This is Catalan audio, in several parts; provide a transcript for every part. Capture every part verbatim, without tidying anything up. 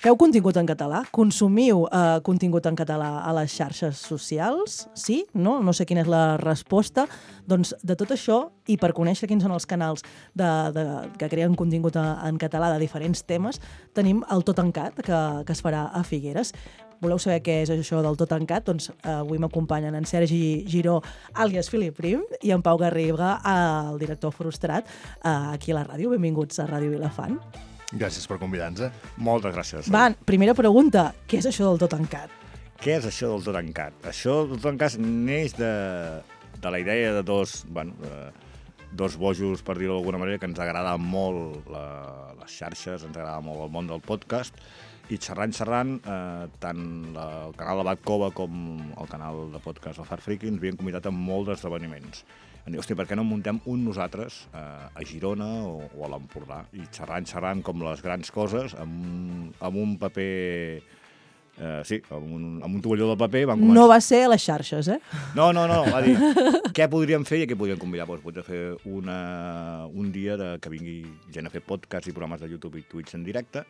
Feu contingut en català? Consumiu uh, contingut en català a les xarxes socials? Sí? No? No sé quina és la resposta. Doncs de tot això, i per conèixer quins són els canals de, de, que creen contingut a, en català de diferents temes, tenim el Tot en Cat, que, que es farà a Figueres. Voleu saber què és això del Tot en Cat? Doncs eh, avui m'acompanyen en Sergi Giró, àlies Filip Prim, i en Pau Garriga, el director frustrat, eh, aquí a la ràdio. Benvinguts a Ràdio Vilafant. Gràcies per convidar-nos. Moltes gràcies. Va, primera pregunta. Què és això del Tot en Cat? Què és això del Tot en Cat? Això del Tot en Cat neix de, de la idea de dos, bueno, de, dos bojos, per dir-ho d'alguna manera, que ens agrada molt la, les xarxes, ens agrada molt el món del podcast, i xerrant, xerrant, eh, tant la, el canal de Bat Cova com el canal de podcast del Far Friki ens havien convidat a molts esdeveniments. Em diu, hòstia, per què no muntem un nosaltres eh, a Girona o, o a l'Empordà? I xerrant, xerrant com les grans coses, amb, amb un paper... Eh, sí, amb un, amb un tovalló de paper van començar... No va ser a les xarxes, eh? No, no, no, va dir, què podríem fer i què podríem convidar? Doncs podríem fer una, un dia de, que vingui gent a fer podcasts i programes de YouTube i Twitch en directe,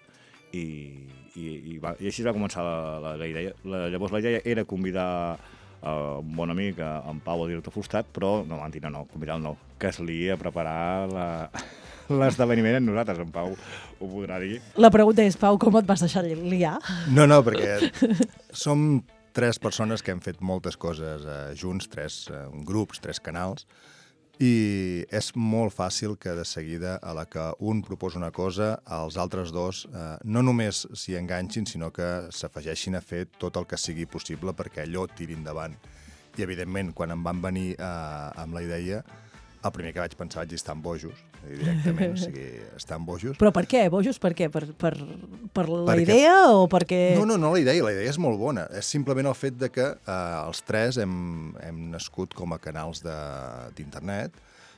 i, i, i, va, i així va començar la, la, la idea. La, llavors la idea era convidar uh, un bon amic, en Pau, el director frustrat, però no, mentida, no, convidar el no, que es lia a preparar la... l'esdeveniment en nosaltres, en Pau ho podrà dir. La pregunta és, Pau, com et vas deixar liar? No, no, perquè som tres persones que hem fet moltes coses eh, junts, tres eh, grups, tres canals, i és molt fàcil que de seguida a la que un proposa una cosa, els altres dos eh, no només s'hi enganxin, sinó que s'afegeixin a fer tot el que sigui possible perquè allò tiri endavant. I, evidentment, quan em van venir eh, amb la idea, el primer que vaig pensar vaig dir estan bojos, directament, o sigui, estan bojos. Però per què? Bojos per què? Per, per, per la perquè... idea o perquè... No, no, no la idea, la idea és molt bona. És simplement el fet de que eh, els tres hem, hem nascut com a canals d'internet,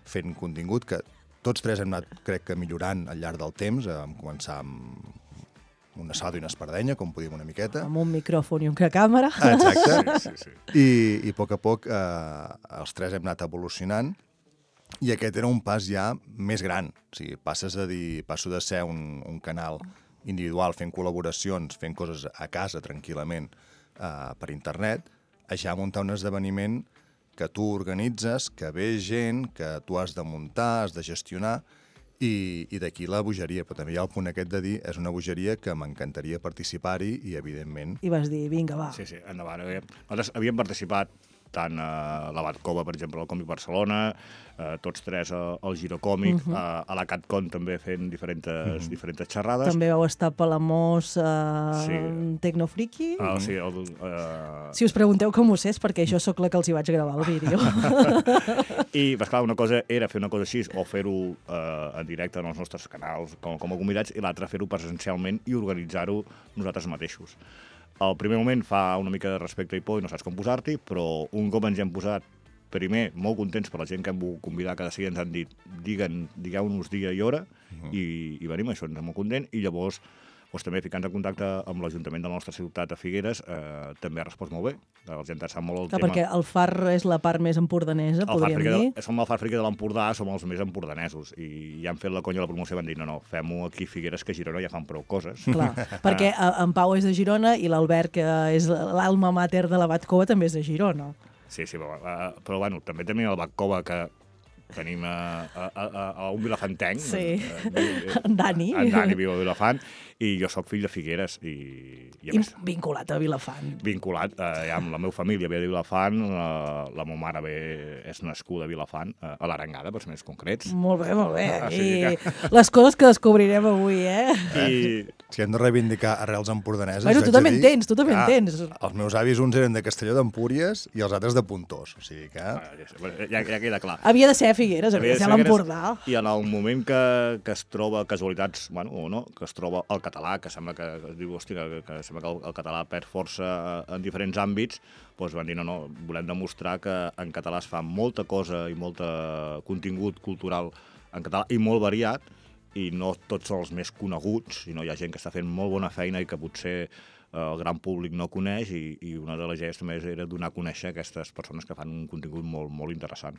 fent contingut que tots tres hem anat, crec que, millorant al llarg del temps. Vam començar amb una salda i una espardenya, com podíem una miqueta. Amb un micròfon i una càmera. Exacte. Sí, sí, sí. I, i a poc a poc eh, els tres hem anat evolucionant. I aquest era un pas ja més gran. O sigui, passes a dir, passo de ser un, un canal individual fent col·laboracions, fent coses a casa tranquil·lament eh, per internet, a ja muntar un esdeveniment que tu organitzes, que ve gent, que tu has de muntar, has de gestionar, i, i d'aquí la bogeria. Però també hi ha el punt aquest de dir, és una bogeria que m'encantaria participar-hi i, evidentment... I vas dir, vinga, va. Sí, sí, endavant. Nosaltres havíem participat tant a la Bat Cova, per exemple, al Còmic Barcelona, eh, tots tres al Giro Còmic, uh -huh. a, a la CatCon també fent diferents, uh -huh. diferents xerrades. També vau estar a Palamós, uh, sí. Tecnofriki. Ah, sí, el, uh... Si us pregunteu com ho sé, és perquè jo sóc la que els hi vaig gravar el vídeo. I, pues, clar, una cosa era fer una cosa així, o fer-ho eh, en directe en els nostres canals com, com a convidats, i l'altra fer-ho presencialment i organitzar-ho nosaltres mateixos. Al primer moment fa una mica de respecte i por i no saps com posar-t'hi, però un cop ens hi hem posat, primer, molt contents per la gent que hem volgut convidar, cada dia ens han dit, diguen, digueu-nos dia i hora, uh -huh. i, i venim, això ens és molt content, i llavors doncs, també ficant en contacte amb l'Ajuntament de la nostra ciutat, a Figueres, eh, també ha respost molt bé. La gent sap molt el Clar, tema. Perquè el Far és la part més empordanesa, el podríem dir. De, som el Far Friki de l'Empordà, som els més empordanesos, i ja han fet la conya a la promoció i van dir, no, no, fem-ho aquí a Figueres, que a Girona ja fan prou coses. Clar, perquè en Pau és de Girona i l'Albert, que és l'alma mater de la Bat Cova, també és de Girona. Sí, sí, però, uh, però bueno, també tenim el Bat Cova, que tenim a, a, a, a un vilafantenc. Sí, uh, en Dani. En Dani viu a Vilafant, i jo sóc fill de Figueres. I, i, I vinculat a Vilafant. Vinculat, eh, ja amb la meva família ve de Vilafant, la, la meva mare ve, és nascuda a Vilafant, eh, a l'Arengada, per ser més concrets. Molt bé, molt bé. Ah, sí, I que... les coses que descobrirem avui, eh? I... Si hem de reivindicar arrels empordaneses... Bueno, tu també en tens, tu també en tens. Els meus avis, uns eren de Castelló d'Empúries i els altres de Pontós, o sigui que... Ah, ja, ja queda clar. Havia de ser Figueres, havia de ser l'Empordà. I en el moment que, que es troba, casualitats, bueno, o no, que es troba el català, que sembla que, que es diu, hòstia, que, que sembla que el, el català perd força en diferents àmbits, doncs van dir, no, no, volem demostrar que en català es fa molta cosa i molt contingut cultural en català i molt variat, i no tots els més coneguts, sinó hi ha gent que està fent molt bona feina i que potser el gran públic no coneix i, i una de les idees també era donar a conèixer aquestes persones que fan un contingut molt, molt interessant.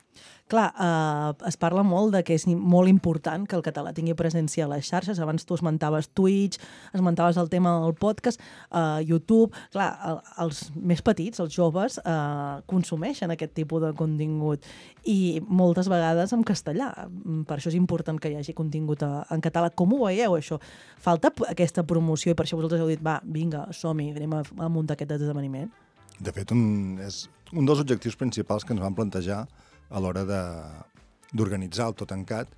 Clar, eh, es parla molt de que és molt important que el català tingui presència a les xarxes. Abans tu esmentaves Twitch, esmentaves el tema del podcast, eh, YouTube. Clar, el, els més petits, els joves, eh, consumeixen aquest tipus de contingut i moltes vegades en castellà. Per això és important que hi hagi contingut a, en català. Com ho veieu, això? Falta aquesta promoció i per això vosaltres heu dit, va, vinga, som-hi, anem a, a muntar aquest esdeveniment? De fet, un, és un dels objectius principals que ens vam plantejar a l'hora d'organitzar el Tot en Cat,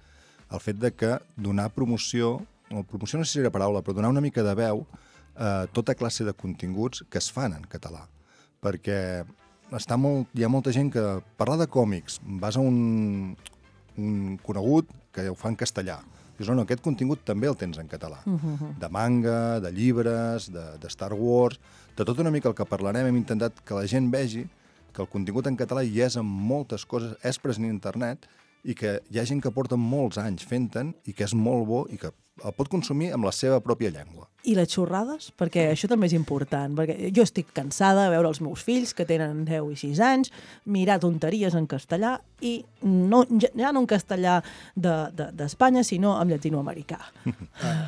el fet de que donar promoció, o promoció no sé si era paraula, però donar una mica de veu a tota classe de continguts que es fan en català. Perquè està molt, hi ha molta gent que parla de còmics, vas a un, un conegut que ho fa en castellà. Dius, no, no, aquest contingut també el tens en català. Uh-huh. De manga, de llibres, de, de Star Wars, de tot una mica el que parlarem. Hem intentat que la gent vegi que el contingut en català hi és en moltes coses, és present a internet i que hi ha gent que porta molts anys fent-te'n i que és molt bo i que el pot consumir amb la seva pròpia llengua. I les xorrades? Perquè això també és important, perquè jo estic cansada de veure els meus fills, que tenen deu i sis anys, mirar tonteries en castellà i no, ja, ja no en castellà d'Espanya, de, de, sinó en llatinoamericà.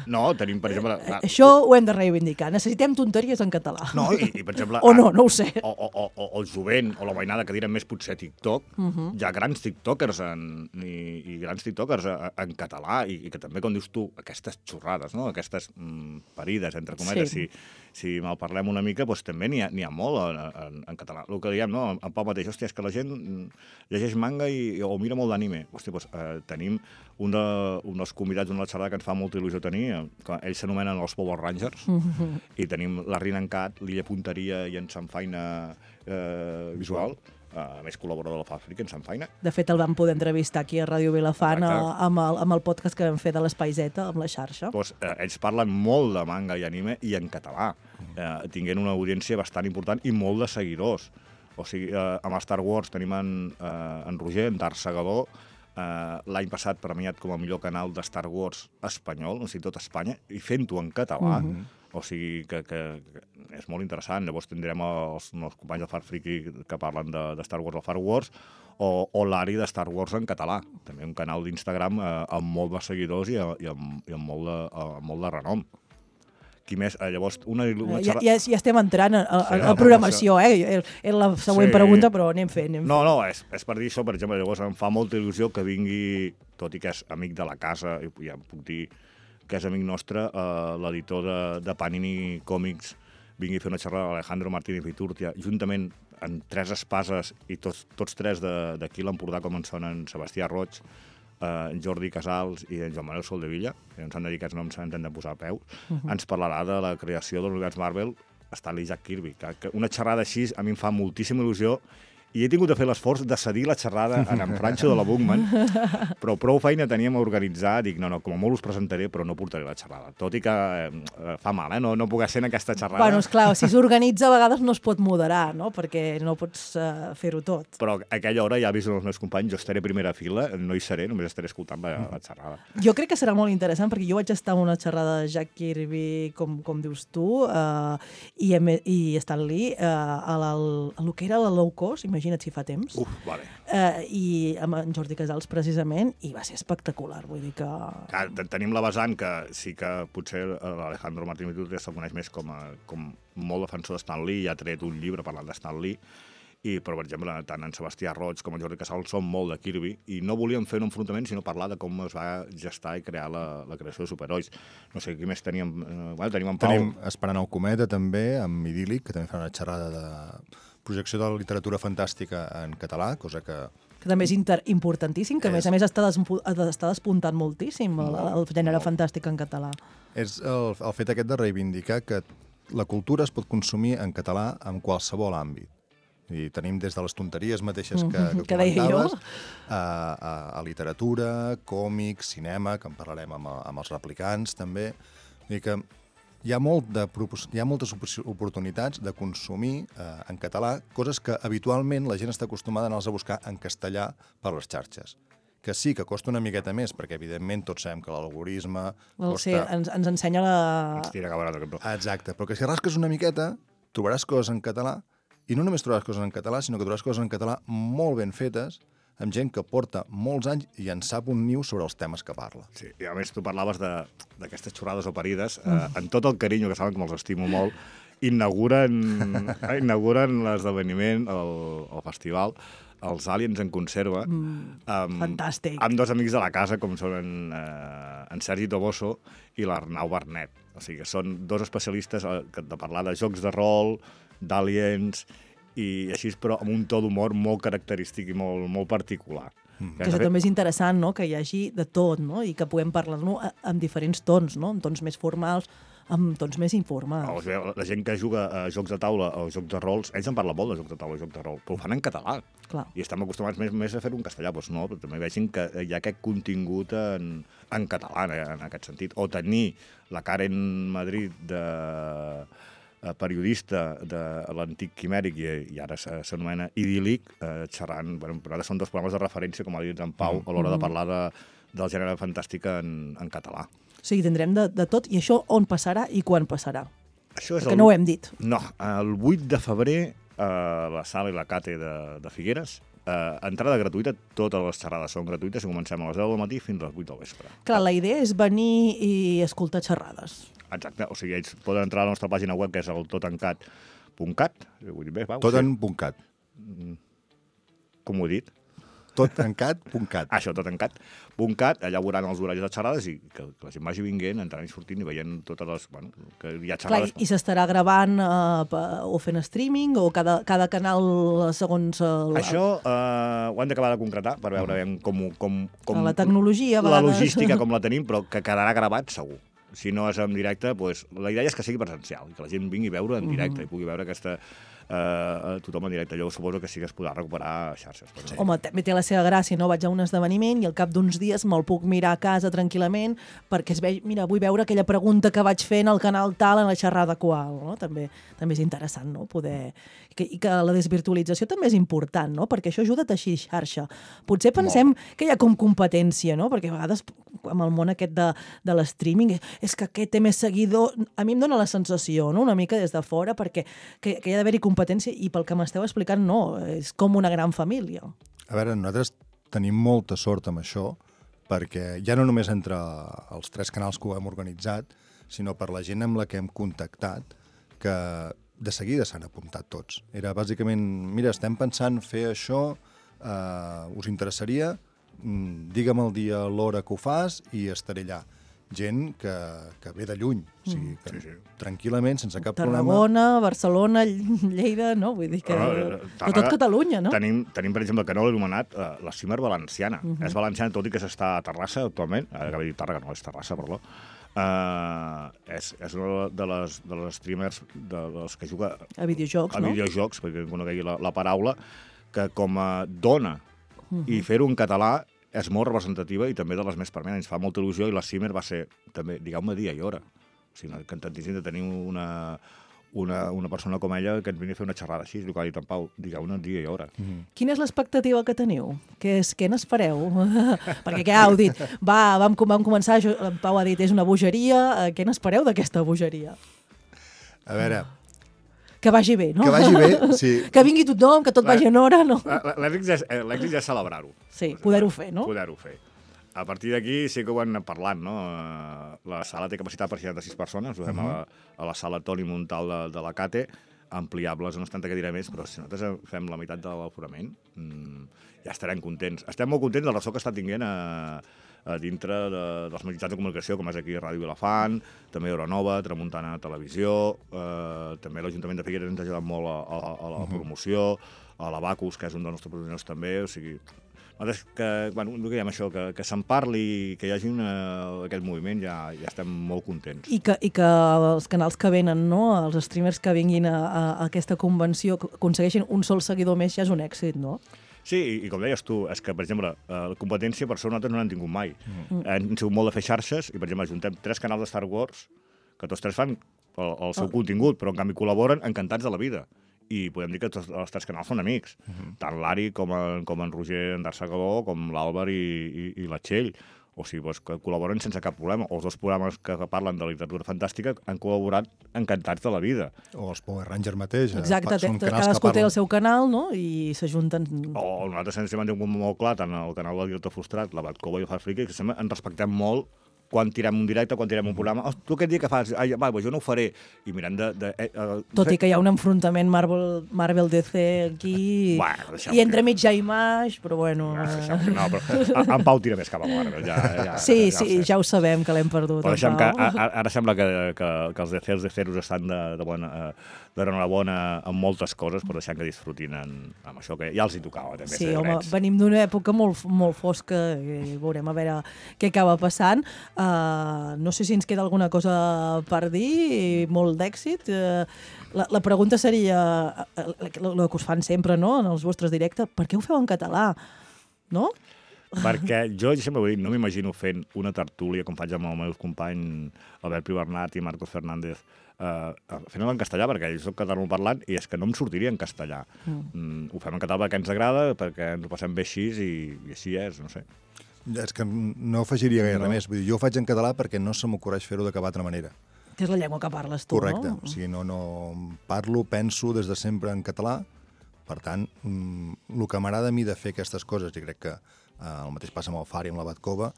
No, tenim, per exemple... Eh, això ho hem de reivindicar. Necessitem tonteries en català. No, i, i per exemple... O no, no ho sé. O, o, o, o el jovent, o la veïnada que direm més potser TikTok, uh -huh. Hi ha grans tiktokers en, i, i grans tiktokers en català i, i que també, com dius tu, aquestes xorrades, no? Aquestes mm, parides, entre cometes, sí. si, si mal parlem una mica, doncs també n'hi ha, ha molt en, en, en català. El que diem, no? En Pau mateix, hòstia, és que la gent llegeix manga i, o mira molt d'anime. Hòstia, doncs eh, tenim un, de, un dels convidats d'una xerrada que ens fa molta il·lusió tenir, que ells s'anomenen els Power Rangers, uh -huh. i tenim la Rina en Cat, l'Illa Punteria i en Sanfaina eh, Visual, a més col·laborador de la fàbrica, en Sanfaina. De fet, el vam poder entrevistar aquí a Ràdio Vilafant a, amb, el, amb el podcast que vam fer de l'Espai Z, amb la xarxa. Pues, eh, ells parlen molt de manga i anime i en català, eh, tinguent una audiència bastant important i molt de seguidors. O sigui, eh, amb Star Wars tenim en, eh, en Roger, en Darth Segador, eh, l'any passat premiat com a millor canal de Star Wars espanyol, o sigui, tot Espanya, i fent-ho en català. Uh -huh. O sigui que, que, que és molt interessant. Llavors tindrem els, els companys del Far Friki que parlen de, de Star Wars al Far Wars o, o l'Ari de Star Wars en català. També un canal d'Instagram eh, amb molt de seguidors i, i, amb, i amb, molt de, amb molt de renom. Qui més? Eh, llavors, una... una ja, ja, ja estem entrant a, a, sí, a programació, eh? És la següent sí. pregunta, però anem fent. Anem no, fent. no, és, és per dir això, per exemple, llavors em fa molta il·lusió que vingui, tot i que és amic de la casa, i ja em puc dir que és amic nostre, eh, l'editor de, de Panini Còmics, vingui a fer una xerrada a Alejandro Martínez Viturtia, juntament amb tres espases, i tots, tots tres d'aquí a l'Empordà, com en són en Sebastià Roig, eh, en Jordi Casals i en Joan Manuel Soldevilla, que ens han de dir aquests noms s'han de posar a peus, uh -huh. ens parlarà de la creació de l'univers Marvel Stanley Jack Kirby. Que una xerrada així a mi em fa moltíssima il·lusió i he tingut de fer l'esforç de cedir la xerrada en en Francho de la Bookman, però prou feina teníem a organitzar, dic, no, no, com a molt us presentaré, però no portaré la xerrada. Tot i que eh, fa mal, eh? No, no puc ser en aquesta xerrada. Bueno, esclar, si s'organitza a vegades no es pot moderar, no? Perquè no pots uh, fer-ho tot. Però a aquella hora ja he vist els meus companys, jo estaré a primera fila, no hi seré, només estaré escoltant la, la xerrada. Jo crec que serà molt interessant, perquè jo vaig estar en una xerrada de Jack Kirby, com, com dius tu, uh, i, i Stan Lee, uh, a, la, a lo que era la low cost, imagina't si fa temps. Uf, vale. Eh, I amb en Jordi Casals, precisament, i va ser espectacular, vull dir que... Clar, tenim la vessant que sí que potser l'Alejandro Martínez Viturtia se'l coneix més com, a, com molt defensor de Stan Lee, i ha tret un llibre parlant de Stan Lee, i, però, per exemple, tant en Sebastià Roig com en Jordi Casals són molt de Kirby, i no volíem fer un enfrontament, sinó parlar de com es va gestar i crear la, la creació de superherois. No sé, qui més teníem? Eh, bueno, tenim en Pau. Tenim Esperant el cometa, també, amb Idíl·lic, que també fa una xerrada de projecció de la literatura fantàstica en català, cosa que... que també és inter importantíssim, que a més a més està, està despuntant moltíssim el, el gènere fantàstic en català. És el, el fet aquest de reivindicar que la cultura es pot consumir en català en qualsevol àmbit. I tenim des de les tonteries mateixes que, que, que comentaves, a, a, a literatura, còmics, cinema, que en parlarem amb, amb els replicants, també. Vull dir que hi ha, molt de, hi ha moltes oportunitats de consumir eh, en català coses que habitualment la gent està acostumada a anar-les a buscar en castellà per les xarxes. que sí, que costa una miqueta més, perquè evidentment tots sabem que l'algoritme Well, costa... sí, ens, ens ensenya la... Ens tira cap a l'altre cantó. Exacte, però que si rasques una miqueta trobaràs coses en català, i no només trobaràs coses en català, sinó que trobaràs coses en català molt ben fetes, amb gent que porta molts anys i en sap un niu sobre els temes que parla. Sí, i a més tu parlaves d'aquestes xorrades o parides, eh, amb tot el carinyo, que saben que me'ls estimo molt, inauguren, inauguren l'esdeveniment, el, el festival, els Aliens en conserva, Mm, amb, fantàstic. amb dos amics de la casa, com són en, eh, en Sergi Toboso i l'Arnau Bernet. O sigui, que són dos especialistes eh, de parlar de jocs de rol, d'aliens, i així, però amb un to d'humor molt característic i molt, molt particular. Mm. Que això també és interessant, no?, que hi hagi de tot, no?, i que puguem parlar-no amb diferents tons, no?, amb tons més formals, amb tons més informals. La gent que juga a jocs de taula o jocs de rols, ells en parlen molt de jocs de taula o jocs de rol, però ho fan en català. Clar. I estem acostumats més, més a fer-ho en castellà, doncs no, però també vegin que hi ha aquest contingut en, en català, en aquest sentit. O tenir la Karen Madrid de periodista de l'antic Quimèric i, i ara s'anomena Idíl·lic, eh, xerrant, bueno, però ara són dos programes de referència, com ha dit en Pau, a l'hora de parlar de, del gènere fantàstic en, en català. O sigui, tindrem de, de tot, i això on passarà i quan passarà? Això és Perquè el... no ho hem dit. No, el vuit de febrer a la sala i la Cate de, de Figueres, eh, entrada gratuïta, totes les xerrades són gratuïtes i comencem a les deu del matí fins a les vuit del vespre. Clar, la idea és venir i escoltar xerrades. Exacte, o sigui, ells poden entrar a la nostra pàgina web, que és el totencat punt cat. Vull dir bé, va, Toten.cat. Com ho he dit? Totencat.cat. Ah, això, totencat punt cat, allà veuran els horaris de xerrades i que, que la gent vagi vinguent, entrant i sortint i veient totes les... Bueno, que hi ha Clar, xerrades... i s'estarà gravant eh, o fent streaming o cada, cada canal segons... El, Això eh, ho hem d'acabar de concretar per veure mm. com, com, com... La tecnologia, a La vegades. logística com la tenim, però que quedarà gravat segur. Si no és en directe, doncs, la idea és que sigui presencial, que la gent vingui a veure en directe mm. i pugui veure aquesta... Uh, tothom en directe. Jo suposo que sí que es podrà recuperar a xarxes. Sí. Home, també té la seva gràcia, no? Vaig a un esdeveniment i al cap d'uns dies me'l puc mirar a casa tranquil·lament perquè es ve... mira, vull veure aquella pregunta que vaig fer en el canal tal, en la xerrada qual, no? També, també és interessant, no?, poder... I que, I que la desvirtualització també és important, no?, perquè això ajuda a teixir xarxa. Potser pensem Molt. que hi ha com competència, no?, perquè a vegades amb el món aquest de, de l'streaming és que aquest té més seguidor... A mi em dóna la sensació, no?, una mica des de fora, perquè que, que hi ha d'haver-hi competència i pel que m'esteu explicant, no, és com una gran família. A veure, nosaltres tenim molta sort amb això, perquè ja no només entre els tres canals que ho hem organitzat, sinó per la gent amb la que hem contactat, que de seguida s'han apuntat tots. Era bàsicament, mira, estem pensant fer això, eh, us interessaria? Digue'm el dia, l'hora que ho fas i estaré allà. Gent que, que ve de lluny, o sigui, que, sí, sí. tranquil·lament, sense cap Tarragona, problema. Tarragona, Barcelona, Lleida, no? Vull dir que... No, però tot Catalunya, no? Tenim, tenim per exemple, que no l'he anomenat, uh, la Cimer Valenciana. Uh -huh. És valenciana, tot i que s'està a Terrassa actualment. Ara que dir Tàrrega, no és Terrassa, perdó. Uh, és, és una de les, de les streamers de les que juga a videojocs, a no? videojocs, perquè conegui la, la paraula, que com a dona uh -huh. i fer-ho en català és molt representativa i també de les més permanents. Fa molta il·lusió i la Cimer va ser, també, digueu-me dia i hora. O sigui, encantantíssim de tenir una, una, una persona com ella que ens vingui a fer una xerrada així, el que ha dit en Pau, digueu-ne dia i hora. Mm. Quina és l'expectativa que teniu? Què, és, què n'espereu? Perquè ja heu dit, va, vam, vam començar, en Pau ha dit, és una bogeria, què n'espereu d'aquesta bogeria? A veure... Que vagi bé, no? Que vagi bé, sí. Que vingui tothom, que tot vagi en hora, no? L'èxit és, és celebrar-ho. Sí, poder-ho fer, no? Poder-ho fer. A partir d'aquí sí que ho hem anat parlant, no? La sala té capacitat per seixanta-sis persones, ho fem uh -huh. a, la, a la sala Toni Montal de, de la Cate, ampliables, no és tanta que diré més, però si nosaltres fem la meitat de l'aforament, mmm, ja estarem contents. Estem molt contents del ressò que està tinguent a, a dintre de, dels mitjans de comunicació, com és aquí Ràdio Vilafant, també Euronova, Tramuntana Televisió, eh, també l'Ajuntament de Figueres ens ha ajudat molt a, a, a la uh -huh. promoció, a l'Abacus, que és un dels nostres patrocinadors també, o sigui... Nosaltres que, bueno, el que diem això, que, que se'n parli, que hi hagi una, aquest moviment, ja, ja estem molt contents. I que, I que els canals que venen, no?, els streamers que vinguin a, a aquesta convenció, aconsegueixin un sol seguidor més, ja és un èxit, no? Sí, i, i com deies tu, és que, per exemple, la competència per això nosaltres no n'hem tingut mai. Mm. Hem sigut molt de fer xarxes i, per exemple, juntem tres canals de Star Wars, que tots tres fan el, el seu oh. contingut, però en canvi col·laboren encantats de la vida. i podem dir que tots els tres canals són amics. Uh-huh. Tant l'Ari com, en, com en Roger Endarsa-Galó, com l'Àlvar i, i, i la Txell. O sigui, doncs, que col·laboren sense cap problema. O els dos programes que parlen de literatura fantàstica han col·laborat encantats de la vida. O els Power Rangers mateix. Exacte, són té, canals cadascú que té parlen... el seu canal, no?, i s'ajunten... O nosaltres ens hem tingut molt clar, tant el canal del director frustrat, la Batcova i el Far Friki, que sempre ens respectem molt quan tirem un directe, quan tirem un programa. Oh, tu aquest dia que fas? Ai, va, jo no ho faré. I mirant de... de eh, eh, Tot i que hi ha un enfrontament Marvel, Marvel D C aquí, bueno, i entremig ja Image, però bueno... No, no, però en Pau tira més cap a Marvel. Ja, ja, sí, ja sí, ja ho sabem, que l'hem perdut. Però deixem que ara, ara sembla que, que, que els D C, els D Ceros estan de, de bona... Eh, d'enhorabona en moltes coses, però deixant que disfrutin en, amb això que ja els hi tocava. També, sí, home, venim d'una època molt, molt fosca i veurem a veure què acaba passant. Uh, no sé si ens queda alguna cosa per dir, molt d'èxit. Uh, la, la pregunta seria, el que us fan sempre, no?, en els vostres directes, per què ho feu en català? No? Perquè jo sempre ho he dit, no m'imagino fent una tertúlia com faig amb els meus companys Albert Pibernat i Marcos Fernández, Uh, fent-ho en castellà, perquè jo soc catalanoparlant i és que no em sortiria en castellà. Mm. Mm, ho fem en català perquè ens agrada, perquè ens ho passem bé així i, i així és, no sé. És que no afegiria gaire no. més. Vull dir, jo ho faig en català perquè no se m'ocorreix fer-ho de cap altra manera. Que és la llengua que parles tu, Correcte. no? Correcte. O sigui, no, no parlo, penso des de sempre en català. Per tant, mm, el que m'agrada a mi de fer aquestes coses, i crec que eh, el mateix passa amb el Far i amb la Batcova,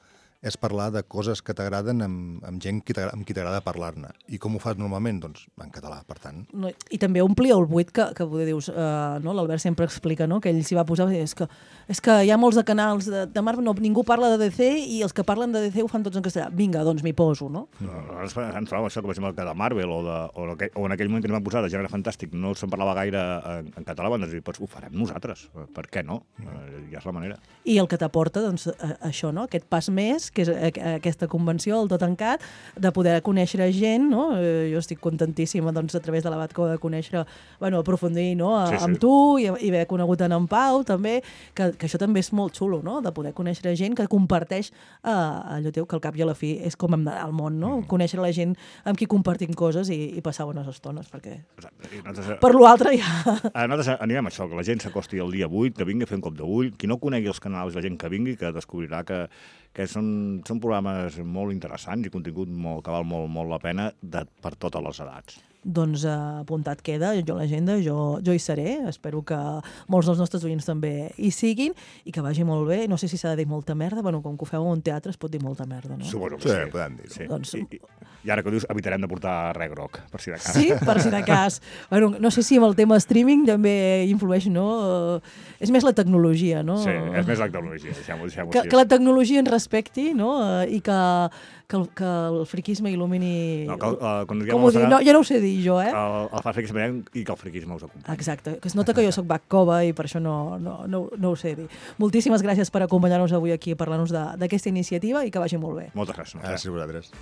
és parlar de coses que t'agraden amb, amb gent que amb qui t'agrada parlar-ne. I com ho fas normalment? Doncs en català, per tant. No, I també ompli el buit que, que poder dius, uh, no? L'Albert sempre explica, no?, que ell s'hi va posar, és que, és que hi ha molts de canals de, de Marvel, no, ningú parla de D C i els que parlen de D C ho fan tots en castellà. Vinga, doncs m'hi poso, no? No, no ens trobem això, com per exemple, que de Marvel o, de, o, aquell, o en aquell moment que ens van posar de gènere fantàstic no se'n parlava gaire en, en català, van dir, doncs ho farem nosaltres, per què no? Mm. Ja és la manera. I el que t'aporta, doncs, això, no?, aquest pas més, que és aquesta convenció, el Tot Encat, de poder conèixer gent, no? Jo estic contentíssima, doncs, a través de la Batcova de conèixer, bueno, aprofundir, no?, a, sí, sí. amb tu i, i haver conegut en en Pau, també, que, que això també és molt xulo, no?, de poder conèixer gent que comparteix eh, allò teu, que al cap i a la fi és com hem d'anar al món, no?, mm. conèixer la gent amb qui compartim coses i, i passar bones estones, perquè nosaltres, per l'altre ja... Nosaltres animem això, que la gent s'acosti el dia vuit, que vingui a fer un cop d'ull, qui no conegui els canals, la gent que vingui, que descobrirà que, que són, són programes molt interessants i contingut molt, que val molt, molt la pena de, per totes les edats. Doncs uh, apuntat queda, jo a l'agenda, jo, jo hi seré, espero que molts dels nostres oients també hi siguin i que vagi molt bé. No sé si s'ha de dir molta merda, bueno, com que ho feu en un teatre es pot dir molta merda, no? Suposo que sí. Sí, podem dir-ho. Sí. Doncs... I, i, I ara que ho dius, evitarem de portar res groc, per si de cas. Sí, per si de cas. Bueno, no sé si amb el tema streaming també influeix, no? Uh, és més la tecnologia, no? Sí, és més la tecnologia, deixem-ho deixem que, així. Que la tecnologia ens respecti, no? Uh, I que, que, el, que el friquisme il·lumini... No, que, uh, quan com ho dic? No, ja no ho sé dir jo, eh? El, el fa friquisme i que el friquisme us acompanyi. Exacte, que es nota que jo soc Batcova i per això no, no, no, no ho sé dir. Moltíssimes gràcies per acompanyar-nos avui aquí a parlar-nos d'aquesta iniciativa i que vagi molt bé. Moltes gràcies. Gràcies a vosaltres.